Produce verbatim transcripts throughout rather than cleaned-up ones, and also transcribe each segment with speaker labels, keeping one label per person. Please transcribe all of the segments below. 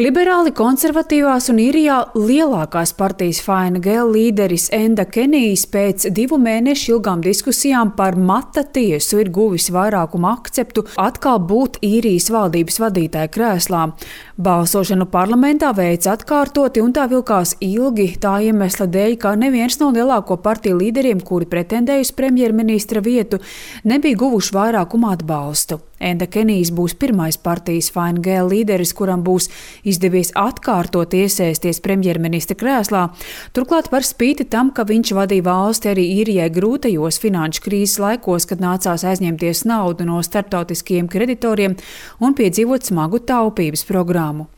Speaker 1: Liberāli konservatīvās un īrijā lielākās partijas Fine Gael līderis Enda Kenijs pēc divu mēnešu ilgām diskusijām par mata tiesu ir guvis vairākumu akceptu atkal būt īrijas valdības vadītāja krēslā. Balsošanu parlamentā veica atkārtoti un tā vilkās ilgi tā iemesla dēļ, ka neviens no lielāko partiju līderiem, kuri pretendēja uz premjerministra vietu, nebija guvuši vairākumu atbalstu. Enda Kenijs būs pirmais partijas Fine Gael līderis, kuram būs izdevies atkārtot iesēsties premjerministra krēslā, turklāt par spīti tam, ka viņš vadīja valsti arī īrijai grūtajos finanšu krīzes laikos, kad nācās aizņemties naudu no starptautiskiem kreditoriem un piedzīvot smagu taupības programmu.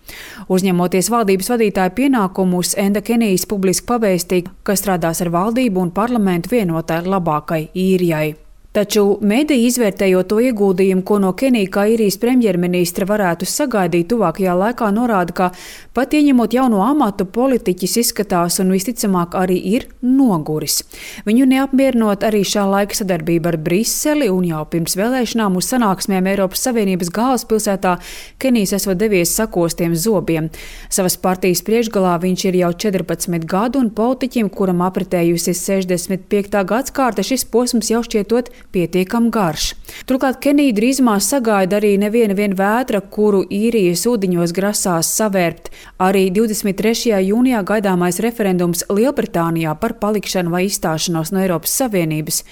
Speaker 1: Uzņemoties valdības vadītāja pienākumus, Enda Kenijs publiski pavēstīja, ka strādās ar valdību un parlamentu vienotai labākai īrijai. Taču mediji, izvērtējot to ieguldījumu, ko no Kenija kā īrijas premjerministra varētu sagaidīt tuvākajā laikā, norāda, ka pat ieņemot jauno amatu, politiķis izskatās un visticamāk arī ir noguris. Viņu neapmierinot arī šā laika sadarbība ar Briseli un jau pirms vēlēšanām uz sanāksmēm Eiropas Savienības galvaspilsētā Kenijs esot devies sakostiem zobiem. Savas partijas priekšgalā viņš ir jau četrpadsmit gadu un politiķim, kuram apritējusi sešdesmit piektā gadskārta, šis posms jau šķietot pietiekam garš. Turklāt Kenija drīzumā sagaida arī neviena vien vētra, kuru īrijas ūdeņos grasās savērpt. Arī divdesmit trešajā jūnijā gaidāmais referendums Lielbritānijā par palikšanu vai izstāšanos no Eiropas Savienības.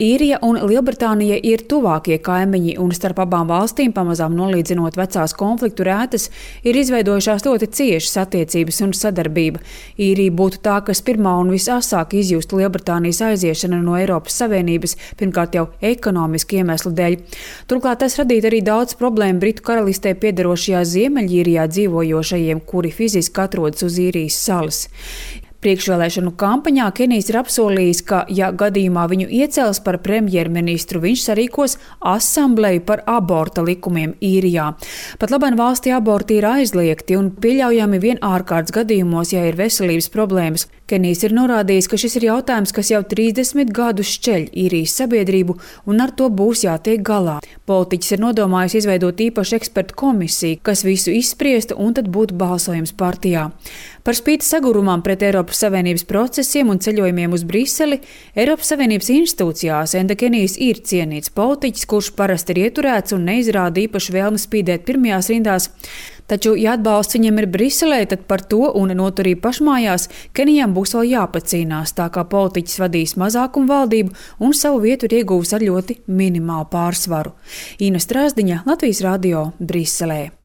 Speaker 1: Īrija un Lielbritānija ir tuvākie kaimiņi un starp abām valstīm, pamazām nolīdzinot vecās konfliktu rētas, ir izveidojušās ļoti ciešas attiecības un sadarbība. Īrija būtu tā, kas pirmā un visasāk izjustu Lielbritānijas aiziešanu no Eiropas Savienības, pirmkārt jau ekonomiski iemeslu dēļ. Turklāt tas radītu arī daudz problēmu Britu karalistē piederošajā Ziemeļīrijā dzīvojošajiem, kuri fiziski atrodas uz īrijas salas. Priekšvēlēšanu kampaņā Kenijs ir apsolījis, ka, ja gadījumā viņu iecels par premjerministru, viņš sarīkos asambleju par aborta likumiem īrijā. Pat labāk valstī aborti ir aizliegti un pieļaujami vien ārkārtas gadījumos, ja ir veselības problēmas. Kenijs ir norādījis, ka šis ir jautājums, kas jau trīsdesmit gadus šķeļ īrijas sabiedrību un ar to būs jātiek galā. Politiķis ir nodomājis izveidot īpašu ekspertu komisiju, kas visu izspriestu un tad būtu balsojums partijā. Par spīti sagurumam pret Eiropas Savienības procesiem un ceļojumiem uz Briseli, Eiropas Savienības institūcijās Enda Kenijs ir cienīts politiķis, kurš parasti ir ieturēts un neizrāda īpašu vēlmi spīdēt pirmajās rindās. Taču, ja atbalsts viņam ir Briselē, tad par to un noturību pašmājās Kenijam būs vēl jāpacīnās, tā kā politiķis vadīs mazākumu valdību un savu vietu ir ieguvis ar ļoti minimālu pārsvaru. Ina Strāzdiņa, Latvijas radio, Briselē.